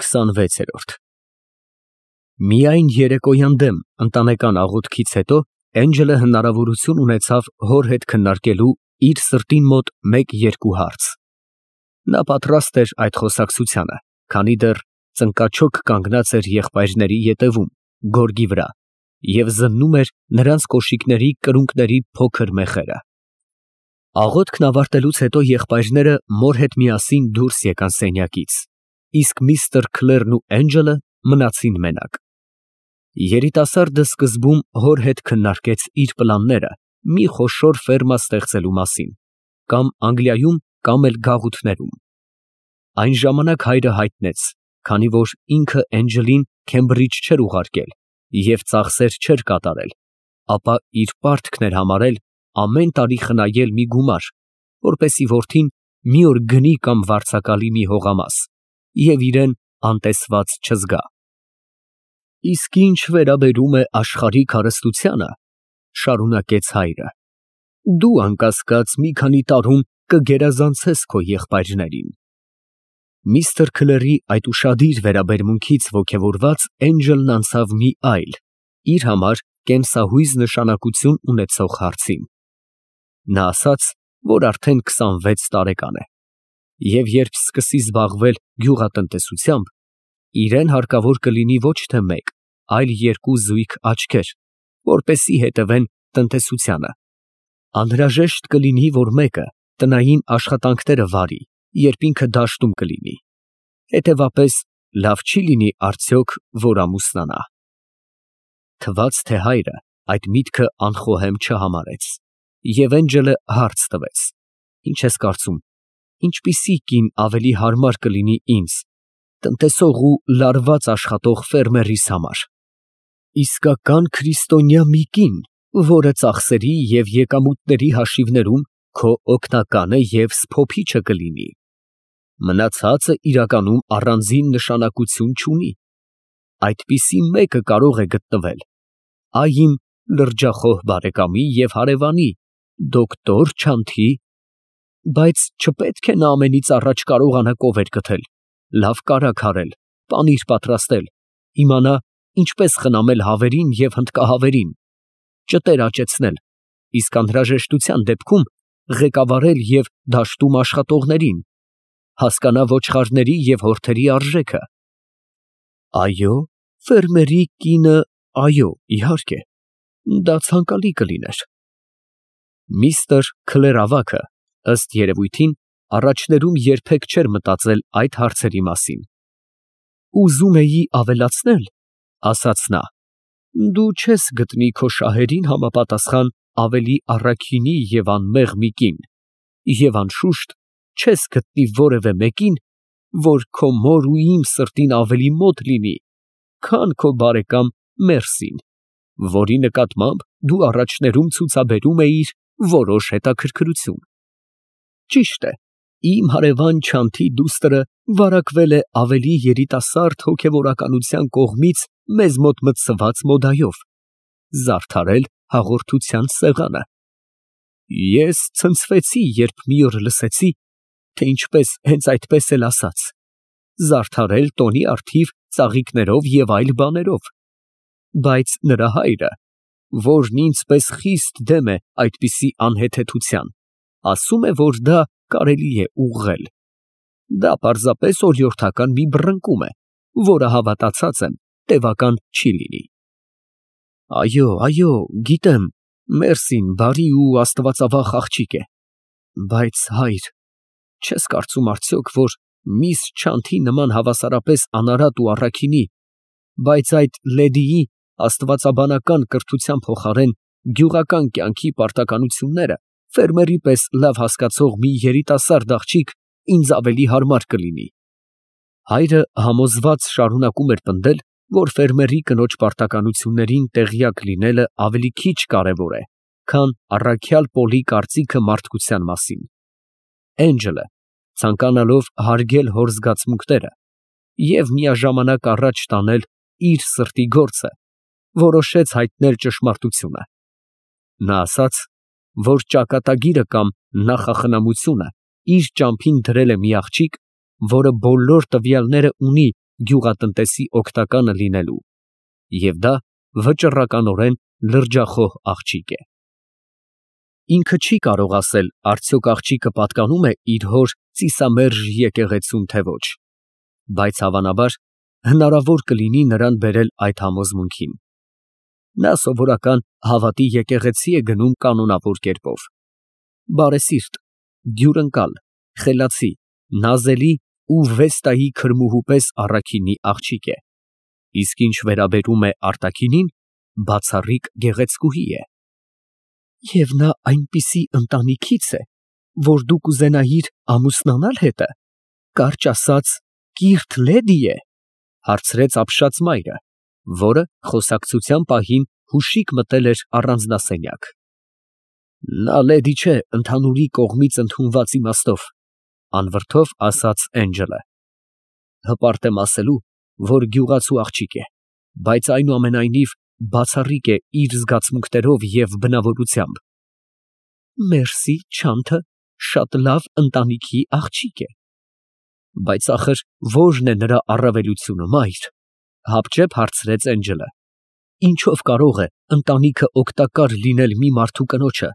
26-րդ Միայն երեկոյան դեմ ընտանեկան աղոթքից հետո Էնջելը հնարավորություն ունեցավ հոր հետ քննարկելու իր սրտին մոտ մեկ-երկու հարց։ Նա պատրաստ էր այդ խոսակցությանը, քանի դեռ ծնկաչոք կանգնած էր եղբայրների ետևում, գորգի վրա, և զննում էր նրանց կոշիկների կրունկների փոքր մեխերը։ Աղոթքն ավարտելուց հետո եղբայրները մոր հետ միասին դուրս եկան սենյակից, իսկ միստր Քլերն ու Էնջելը մնացին մենակ։ Երիտասարդը սկզբում հոր հետ քննարկեց իր պլանները մի խոշոր ֆերմա ստեղծելու մասին, կամ Անգլիայում, կամ էլ գաղութներում։ Այն ժամանակ հայրը հայտնեց, քանի որ ինքը Էնջելին Քեմբրիջ չէր ուղարկել և ծախսեր չէր կատարել, ապա իր պարտքն էր համարել ամեն տարի խնայել մի գումար, որպեսզի որդին մի օր գնի կամ վարձակալի մի հողամաս և իրան անտեսված չզգա։ Իսկ ինչ վերաբերում է աշխարհիկ հարստությանը, շարունակեց հայրը, դու անկասկած մի քանի տարում կգերազանցես քո եղբայրներին։ Միստր Քլերի այդ ուշադիր վերաբերմունքից ոգևորված Էնջելն անցավ մի այլ, իր համար կեմսահույզ նշանակություն ունեցող հարցին։ Նա ասաց, որ արդեն 26 տարեկան է, և երբ սկսի զբաղվել գյուղատնտեսությամբ, իրան հարկավոր կլինի ոչ թե մեկ, այլ երկու զույգ աչքեր, որպեսզի հետևեն տնտեսությանը։ Անհրաժեշտ կլինի, որ մեկը տնային աշխատանքները վարի, երբ ինքը դաշտում կլինի։ Հետևաբար, լավ չի լինի արդյոք, որ ամուսնանա։ Թվաց, թե հայրը այդ միտքը անխոհեմ չհամարեց, և Էնջելը հարց տվեց. Ինչ ես կարծում, ինչպիսի կին ավելի հարմար կլինի ինձ, տնտեսող ու լարված աշխատող ֆերմերիս համար։ Իսկական քրիստոնյա մի կին, որը ծախսերի և եկամուտների հաշիվներում քո օգնականը և սփոփիչը կլինի։ Մնացածը իրականում առանձին նշանակություն չունի։ Այդպիսի մեկը կարող է գտնվել այ իմ լրջախոհ բարեկամի և հարևանի դոկտոր Չանթի, բայց չպետք է նա ամենից առաջ կարողանա կովեր գթել, լավ կարագ հարել, պանիր պատրաստել, իմանա ինչպես խնամել հավերին և հնդկահավերին, ճտեր աճեցնել, իսկ անհրաժեշտության դեպքում ղեկավարել և դաշտում աշխատողներին, հասկանա ոչխարների և հորթերի արժեքը։ Այո, ֆերմերի կինը, այո, իհարկե, դա ցանկալի կլիներ։ Միստր Քլեր ավագը, ըստ երևույթին, առաջներում երբեք չէր մտածել այդ հարցերի մասին։ Ուզում էի ավելացնել, ասաց նա, դու չես գտնի քո շահերին համապատասխան ավելի առաքինի և անմեղ մի կին, և անշուշտ չես գտնի որևէ մեկին, որ քո մոր ու իմ սրտին ավելի մոտ լինի, քան քո բարեկամ Մերսին, որի նկատմամբ դու առաջներում ցուցաբերում էիր որոշ հետաքրքրություն։ Ճիշտ է, իմ հարևան Չանթի դուստրը վարակվել է ավելի երիտասարդ հոգևորականության կողմից մեզ մոտ մտցված մոդայով, զարդարել հաղորդության սեղանը։ Ես ցնցվեցի, երբ մի օր լսեցի, թե ինչպես հենց այդպես էլ ասաց, զարդարել տոնի առթիվ ծաղիկներով և այլ բաներով, բայց նրա հայրը, որն ինձ պես խիստ դեմ է այդպիսի անհեթեթության, ասում է, որ դա կարելի է ուղղել։ Դա պարզապես օրիորդական մի բռնկում է, որը հավատացած եմ, տևական չի լինի։ Այո, այո, գիտեմ, Մերսին բարի ու աստվածավախ աղջիկ է, բայց հայր, չես կարծում արդյոք, որ միս Չանթի նման հավասարապես անարատ ու առաքինի, բայց այդ լեդիի աստվածաբանական կրթության փոխարեն գյուղական կյանքի պարտականությունները ֆերմերի պես լավ հասկացող մի երիտասարդ աղջիկ ինձ ավելի հարմար կլինի։ Հայրը համոզված շարունակում էր պնդել, որ ֆերմերի կնոջ պարտականություններին տեղյակ լինելը ավելի քիչ կարևոր է, քան առաքյալ Պոլի կարծիքը մարդկության մասին։ Էնջելը, ցանկանալով հարգել հոր զգացմունքները և միաժամանակ առաջ տանել իր սրտի գործը, որոշեց հայտնել ճշմարտությունը։ Նա ասաց, որ ճակատագիրը կամ նախախնամությունը իր ճամփին դրել է մի աղջիկ, որը բոլոր տվյալները ունի գյուղատնտեսի օգտականը լինելու, և դա վճռականորեն լրջախոհ աղջիկ է։ Ինքը չի կարող ասել, արդյոք աղջիկը պատկանում է իր հոր ծիսամերժ եկեղեցուն, թե ոչ, բայց հավանաբար հնարավոր կլինի նրան բերել այդ համոզմունքին։ Նա սովորական հավատի եկեղեցի է գնում կանոնավոր կերպով, բարեսիրտ, դյուրընկալ, խելացի, նազելի ու Վեստայի քրմուհու պես առաքինի աղջիկ է, իսկ ինչ վերաբերում է արտաքինին, բացառիկ գեղեցկուհի է։ Եվ նա այնպիսի ընտանիքից է, որ դու կուզենայիր ամուսնանալ հետը, կարճ ասած, կիրթ լեդի է, հարցրեց ապշած մայրը, որը խոսակցության պահին հուշիկ մտել էր առանձնասենյակ։ Նա լեդի չէ ընդհանուրի կողմից ընդունված իմաստով, անվրդով ասաց Էնջելը։ Հպարտ եմ ասելու, որ գյուղացու աղջիկ է, բայց այնուամենայնիվ բացառիկ է իր զգացմունքներով և բնավորությամբ։ Մերսի, Չանթը շատ լավ ընտանիքի աղջիկ է։ Բայց ախր ո՞րն է նրա առավելությունը, մայր, հապճեպ հարցրեց Էնջելը։ Ինչով կարող է ընտանիքը օգտակար լինել մի մարդու կնոջը,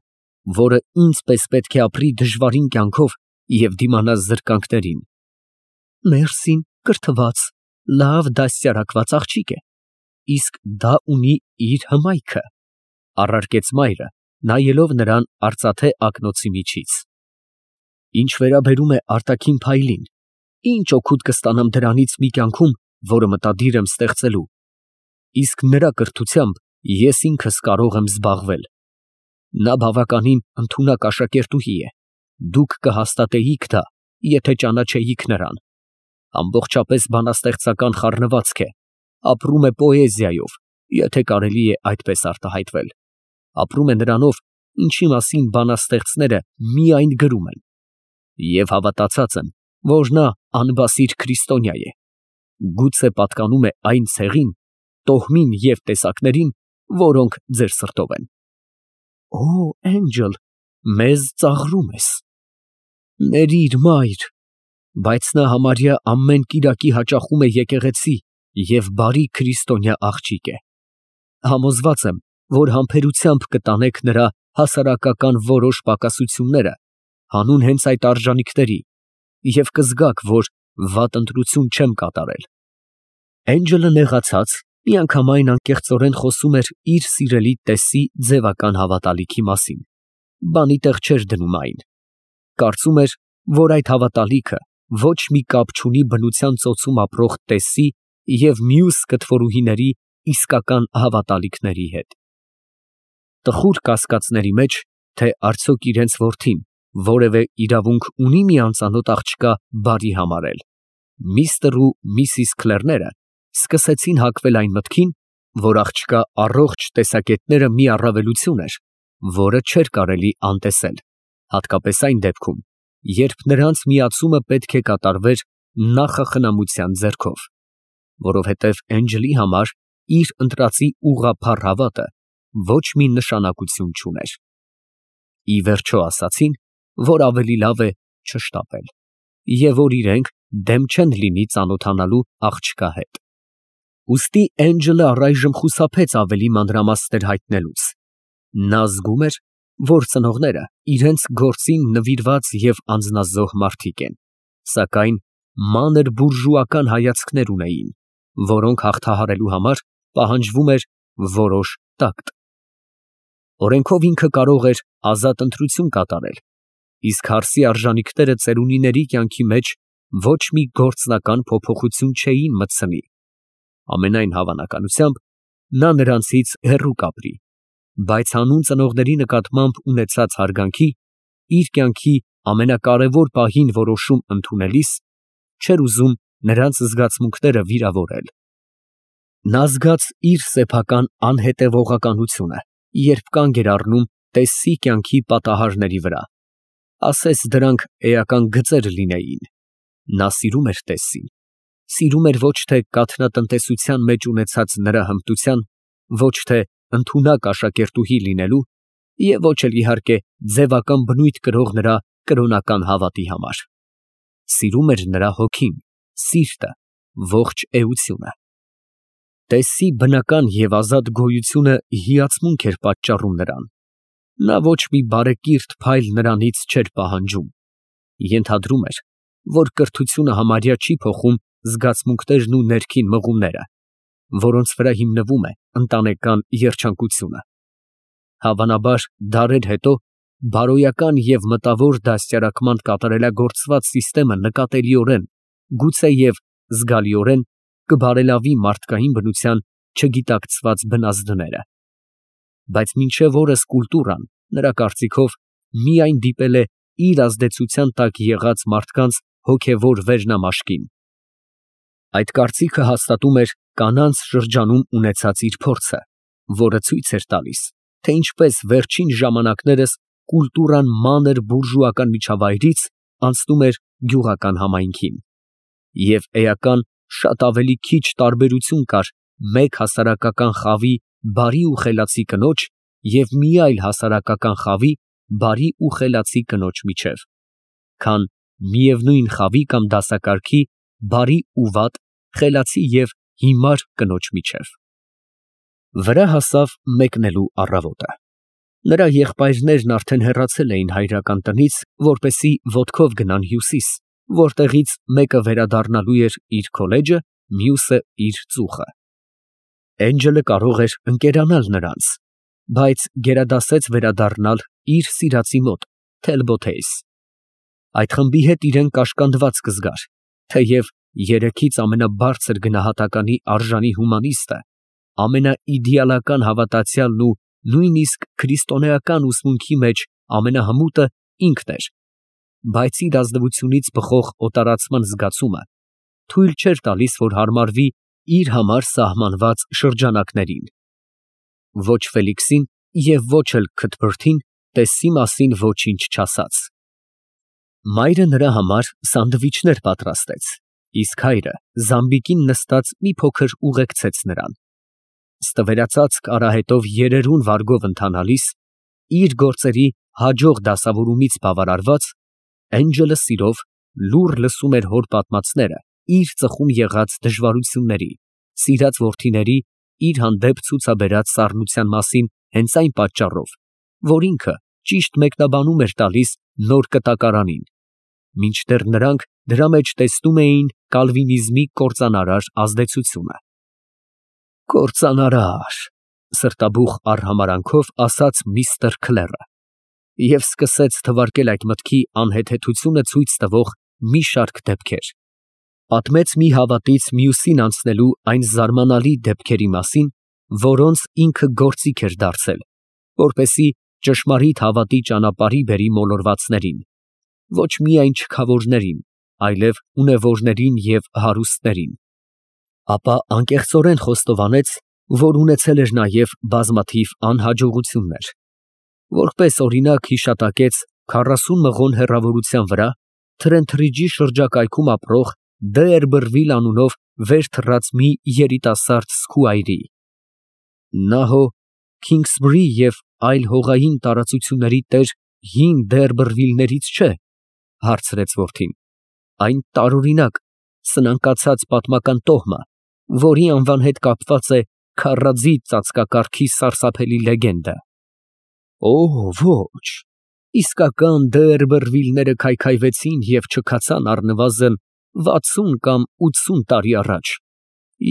որը ինձ պես պետք է ապրի դժվարին կյանքով և դիմանա զրկանքներին։ Մերսին կրթված, լավ դաստիարակված աղջիկ է, իսկ դա ունի իր հմայքը, առարկեց մայրը, նայելով նրան արծաթե ակնոցի միջից։ Ինչ վերաբերում է արտաքին փայլին, ինչ օգուտ կստանամ դրանից մի կյանքում, որը մտադիր եմ ստեղծելու, իսկ նրա կրթությամբ ես ինքս կարող եմ զբաղվել։ Նա բավականին ընդունակ աշակերտուհի է, դուք կհաստատեիք դա, եթե ճանաչեիք նրան։ Ամբողջապես բանաստեղծական խառնվածք է, ապրում է պոեզիայով, եթե կարելի է այդպես արտահայտվել, ապրում է նրանով, ինչի մասին բանաստեղծները միայն գրում են, և հավատացած եմ, որ նա անբասիր քրիստոնյա է, գուցե պատկանում է այն ցեղին, տոհմին և տեսակներին, որոնք ձեր սրտով են։ Օ, Էնջել, մեզ ծաղրում ես։ Ներիր, մայր, բայց նա համարյա ամեն կիրակի հաճախում է եկեղեցի և բարի քրիստոնյա աղջիկ է։ Համոզված եմ, որ համբերությամբ կտանեք նրա հասարակական որոշ պակասությունները հանուն հենց այդ արժանիքների և կզգաք, որ վատ ընտրություն չեմ կատարել։ Էնջելը նեղացած, միանգամայն անկեղծորեն խոսում էր իր սիրելի տեսի ձևական հավատալիքի մասին, բանի տեղ չէր դնում այն։ Կարծում էր, որ այդ հավատալիքը ոչ մի կապ չունի բնության ծոցում ապրող տեսի և մյուս կտվորուհիների իսկական հավատալիքների հետ։ Տխուր կասկածների մեջ, թե արդյոք իրենց որդին որևէ իրավունք ունի մի անծանոթ աղջկա բարի համարել, միստր ու միսիս Քլերները սկսեցին հակվել այն մտքին, որ աղջկա առողջ տեսակետները մի առավելություն էր, որը չէր կարելի անտեսել, հատկապես այն դեպքում, երբ նրանց միացումը պետք է կատարվեր նախախնամության ձեռքով, որովհետև Էնջելի համար իր ընտրածի ուղղափառ հավատը ոչ մի նշանակություն չուներ։ Ի վերջո ասացին, որ ավելի լավ է չշտապել, և որ իրենք դեմ չեն լինի ծանոթանալու աղջկա հետ։ Ուստի Էնջելը առայժմ խուսափեց ավելի մանրամասներ հայտնելուց։ Նա զգում էր, որ ծնողները իրենց գործին նվիրված և անձնազոհ մարդիկ են, սակայն մանր բուրժուական հայացքներ ունեին, որոնք հաղթահարելու համար պահանջվում էր որոշ տակտ։ Օրենքով ինքը կարող էր ազատ ընտրություն կատարել, իսկ հարսի արժանիքները ծերունիների կյանքի մեջ ոչ մի գործնական փոփոխություն չէին մտցնի։ Ամենայն հավանականությամբ նա նրանցից հեռու կապրի, բայց հանուն ծնողների նկատմամբ ունեցած հարգանքի, իր կյանքի ամենակարևոր պահին որոշում ընդունելիս, չէր ուզում նրանց զգացմունքները վիրավորել։ Նա զգաց իր սեփական անհետևողականությունը, երբ կանգ էր առնում տեսի կյանքի պատահարների վրա, ասես դրանք էական գծեր լինեին։ Նա սիրում էր տեսին, սիրում էր ոչ թե կաթնատնտեսության մեջ ունեցած նրա հմտության, ոչ թե ընդունակ աշակերտուհի լինելու և ոչ էլ իհարկե ձևական բնույթ կրող նրա կրոնական հավատի համար։ Սիրում էր նրա հոգին, սիրտը, ողջ էությունը։ Տեսի բնական և ազատ գոյությունը հիացմունք էր պատճառում նրան։ Նա ոչ մի բարեկիրթ փայլ նրանից չէր պահանջում։ Ենթադրում էր, որ կրթությունը համարյա չի փոխում զգացմունքներն ու ներքին մղումները, որոնց վրա հիմնվում է ընտանեկան երջանկությունը։ Հավանաբար դարեր հետո բարոյական և մտավոր դաստիարակման կատարելագործված սիստեմը նկատելիորեն, գուցեև զգալիորեն կբարելավի մարդկային բնության չգիտակցված բնազդները։ Բայց մինչև օրս կուլտուրան, նրա կարծիքով, միայն դիպել է իր ազդեցության տակ եղած մարդկանց հոգևոր վերնամաշկին։ Այդ կարծիքը հաստատում էր կանանց շրջանում ունեցած իր փորձը, որը ցույց էր տալիս, թե ինչպես վերջին ժամանակներս կուլտուրան մանր բուրժուական միջավայրից անցնում էր գյուղական համայնքին, և էական շատ ավելի քիչ տարբերություն կար մեկ հասարակական խավի բարի ու խելացի կնոջ և մի այլ հասարակական խավի բարի ու խելացի կնոջ միջև, քան միևնույն խավի կամ դասակարգի բարի ու վատ, խելացի և հիմար կնոջ միջև։ Վրա հասավ մեկնելու առավոտը։ Նրա եղբայրներն արդեն հեռացել էին հայրական տնից, որպեսզի ոտքով գնան Հյուսիս, որտեղից մեկը վերադառնալու էր իր քոլեջը, մյուսը իր ծուխը։ Էնջելը կարող էր ընկերանալ նրանց, բայց գերադասեց վերադառնալ իր սիրածի մոտ, Թելբոթեյս։ Այդ խմբի հետ իրեն կաշկանդված կզգար, թեև երեքից ամենաբարձր գնահատականի արժանի հումանիստը, ամենաիդեալական հավատացյալն ու նույնիսկ քրիստոնեական ուսմունքի մեջ ամենահմուտը ինքն էր, բայց իր ազնվությունից բխող օտարացման զգացումը թույլ չէր տալիս, որ հարմարվի իր համար սահմանված շրջանակներին։ Ոչ Ֆելիքսին և ոչ էլ քթբրդին տեսի մասին ոչինչ չասաց։ Մայրը նրա համար սանդվիչներ պատրաստեց, իսկ հայրը զամբիկին նստած մի փոքր ուղեկցեց նրան։ Ստվերացած արահետով երերուն վարգով ընթանալիս, իր գործերի հաջող դասավորումից բավարարված, Էնջելը սիրով լուռ լսում էր հոր պատմածները իր ծխում եղած դժվարությունների, սիրած որդիների իր հանդեպ ցուցաբերած սառնության մասին հենց այն պատճառով, որ ինքը ճիշտ մեկնաբանում էր տալիս նոր կտակարանին, մինչդեռ նրանք դրա մեջ տեսնում էին կալվինիզմի կործանարար ազդեցությունը։ Կործանարար, սրտաբուխ արհամարանքով ասաց միստր Քլերը և սկսեց թվարկել այդ մտքի անհեթեթությունը ցույց տվող մի շարք դեպքեր։ Պատմեց մի հավատից մյուսին անցնելու այն զարմանալի դեպքերի մասին, որոնց ինքը գործիք էր դարձել, որպեսզի ճշմարիտ հավատի ճանապարհի բերի մոլորվածներին, ոչ միայն չքավորներին, այլև ունևորներին և հարուստներին։ Ապա անկեղծորեն խոստովանեց, որ ունեցել էր նաև բազմաթիվ անհաջողություններ։ Որպես օրինակ հիշատակեց 40 մղոն հեռավորության վրա Թրենթրիջի շրջակայքում ապրող Դերբըրվիլ անունով վեր թռած մի երիտասարդ սկուայրի։ Նա հո Քինգսբրի և այլ հողային տարածությունների տեր հին Դերբըրվիլներից չէ, հարցրեց որդին։ Այն տարօրինակ, սնանկացած պատմական տոհմը, որի անվան հետ կապված է քարաձի ծածկակարգի սարսափելի լեգենդը։ Օ, ոչ, իսկական Դերբըրվիլները քայքայվեցին և չքացան առնվազն 60 կամ 80 տարի առաջ,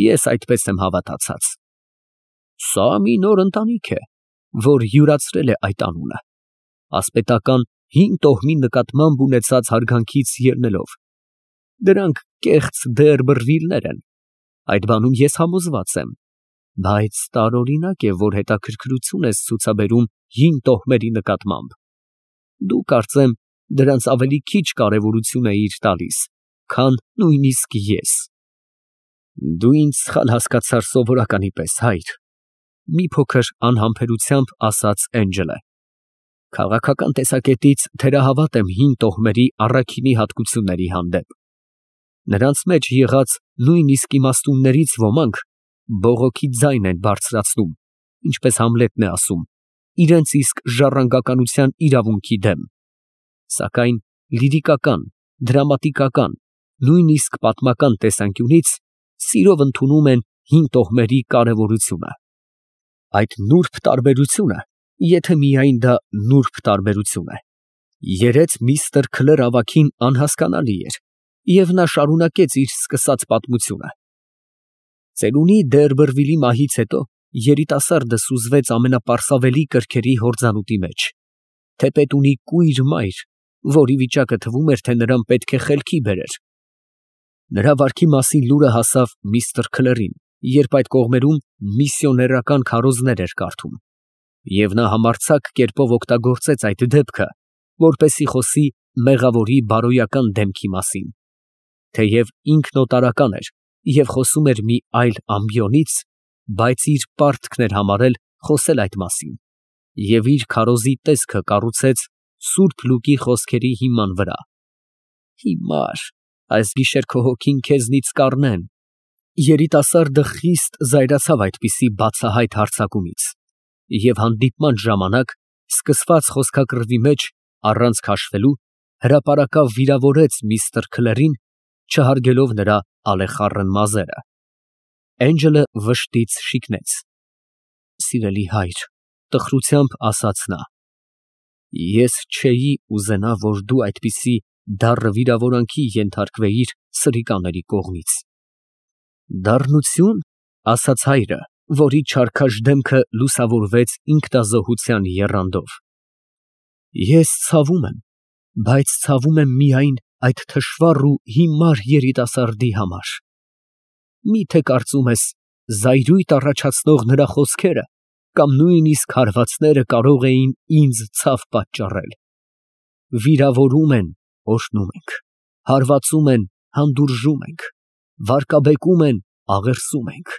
ես այդպես եմ հավատացած։ Սա մի նոր ընտանիք է, որ յուրացրել է այդ անունը, ասպետական հին տոհմի նկատմամբ ունեցած հարգանքից ելնելով։ Դրանք կեղծ Դերբըրվիլներ են, այդ բանում ես համոզված եմ, բայց տարօրինակ է, որ հետաքրքրություն ես ցուցաբերում հին տոհմերի նկատմամբ։ Դու կարծեմ դրանց ավելի քիչ կարևորություն էիր տալիս, քան նույնիսկ ես։ Դու ինձ սխալ հասկացար սովորականի պես, հայր, մի փոքր անհամբերությամբ ասաց Էնջելը։ Քաղաքական տեսակետից թերահավատ եմ հին տոհմերի առաքինի հատկությունների հանդեպ։ Նրանց մեջ եղած նույնիսկ իմաստուններից ոմանք բողոքի ձայն են բարձրացնում, ինչպես Համլետն է ասում, իրենց իսկ ժառանգականության իրավունքի դեմ։ Սակայն լիրիկական, դրամատիկական, նույնիսկ պատմական տեսանկյունից սիրով ընդունում են հին տոհմերի կարևորությունը։ Այդ նուրբ տարբերությունը, եթե միայն դա նուրբ տարբերություն է, երեց միստր Քլեր ավագին անհասկանալի էր, և նա շարունակեց իր սկսած պատմությունը։ Ծերունի Դերբերվիլի մահից հետո երիտասարդը սուզվեց ամենապարսավելի կրքերի հորձանուտի մեջ, թեպետ ունի կույր մայր, որի վիճակը թվում էր, թե նրան պետք է խելքի բերեր։ Նրա վարքի մասին լուրը հասավ միստր Քլերին, երբ այդ կողմերում միսիոներական քարոզներ էր կարդում, և նա համարձակ կերպով օգտագործեց այդ դեպքը, որպեսզի խոսի մեղավորի բարոյական դեմքի մասին։ Թեև ինքն օտարական էր և խոսում էր մի այլ ամբիոնից, բայց իր պարտքն էր համարել խոսել այդ մասին, և իր քարոզի տեսքը կառուցեց Սուրբ Լուկի խոսքերի հիման վրա. «Հիմար, այս գիշեր քո հոգին քեզնից կառնեն»։ Երիտասարդը խիստ զայրացավ այդպիսի բացահայտ հարձակումից, և հանդիպման ժամանակ սկսված խոսքակռվի մեջ, առանց քաշվելու, հրապարակավ վիրավորեց միստր Քլերին, չհարգելով նրա ալեխառն մազերը։ Էնջելը վշտից շիկնեց։ «Սիրելի հայր», տխրությամբ ասաց նա, «ես չէի ուզենա, որ դու այդպիսի դառն վիրավորանքի ենթարկվեիր սրիկաների կողմից»։ «Դառնություն», ասաց հայրը, որի չարքաշ դեմքը լուսավորվեց ինքնազոհության եռանդով, «ես ցավում եմ, բայց ցավում եմ միայն այդ թշվառ ու հիմար երիտասարդի համար։ Մի՞թե կարծում ես, զայրույթ առաջացնող նրա խոսքերը կամ նույնիսկ հարվածները կարող էին ինձ ցավ պատճառել։ Վիրավորում են, օրհնում ենք, հարվածում են, հանդուրժում ենք, վարկաբեկում են, աղերսում ենք։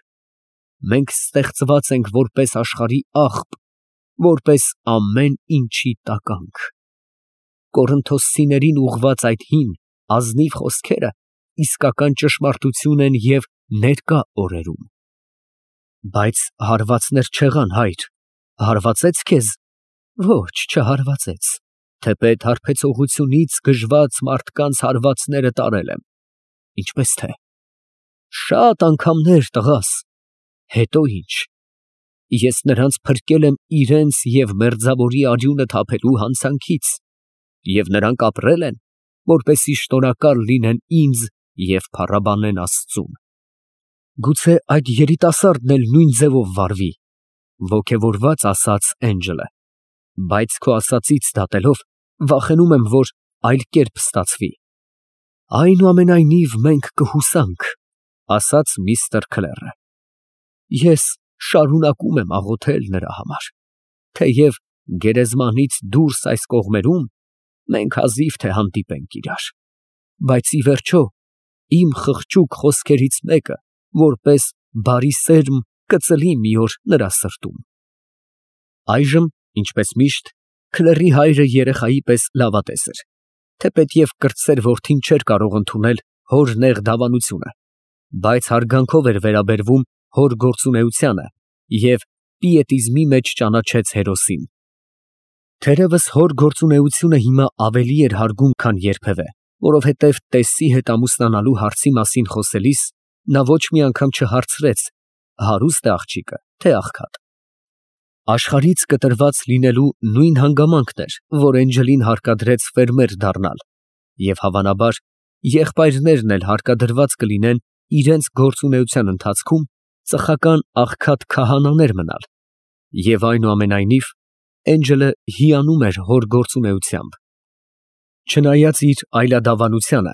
Մենք ստեղծված ենք որպես աշխարհի աղբ, որպես ամեն ինչի տականք։ Կորինթոսցիներին ուղղված այդ հին, ազնիվ խոսքերը իսկական ճշմարտություն են և ներկա օրերում։ Բայց հարվածներ չեղան, հայր, հարվածե՞ց քեզ։ Ոչ, չհարվածեց, թեպետ հարբեցողությունից գժված մարդկանց հարվածները տարել եմ։ Ինչպես թե։ Շատ անգամներ, տղաս։ Հետո ինչ։ Ես նրանց փրկել եմ իրենց և մերձավորի արյունը թափելու հանցանքից, և նրանք ապրել են, որպեսզի շնորհակալ լինեն ինձ և փառաբանեն Աստծուն։ Գուցե այդ երիտասարդն էլ նույն ձևով վարվի, ոգևորված ասաց Էնջելը, բայց քո ասածից դատելով, վախենում եմ, որ այլ կերպ ստացվի։ Այնուամենայնիվ մենք կհուսանք, ասաց միստր Քլերը։ Ես շարունակում եմ աղոթել նրա համար, թեև գերեզմանից դուրս այս կողմերում մենք հազիվ թե հանդիպենք իրար, բայց ի վերջո իմ խղճուկ խոսքերից մեկը, որպես բարի սերմ, կծլի մի օր նրա սրտում։ Այժմ, ինչպես միշտ, Քլերի հայրը երեխայի պես լավատես էր, թեպետ և կրտսեր որդին չէր կարող ընդունել հոր նեղ դավանությունը, բայց հարգանքով էր վերաբերվում հոր գործունեությանը և պիետիզմի մեջ ճանաչեց հերոսին։ Թերևս հոր գործունեությունը հիմա ավելի էր հարգում, քան երբևէ, որովհետև տեսի հետ ամուսնանալու հարցի մասին խոսելիս նա ոչ մի անգամ չհարցրեց հարուստ է աղջիկը, թե աղքատ։ Աշխարհից կտրված լինելու նույն հանգամանքն էր, որ Էնջելին հարկադրեց ֆերմեր դառնալ, և հավանաբար եղբայրներն էլ հարկադրված կլինեն իրենց գործունեության ընթացքում ծխական աղքատ քահանաներ մնալ, և այնուամենայնիվ Էնջելը հիանում էր հոր գործունեությամբ։ Չնայած իր այլադավանությանը,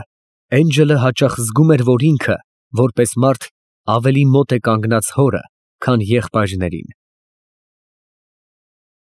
Էնջելը հաճախ զգում էր, որ ինքը, որպես մարդ, ավելի մոտ է կանգնած հորը, քան եղբայրներին։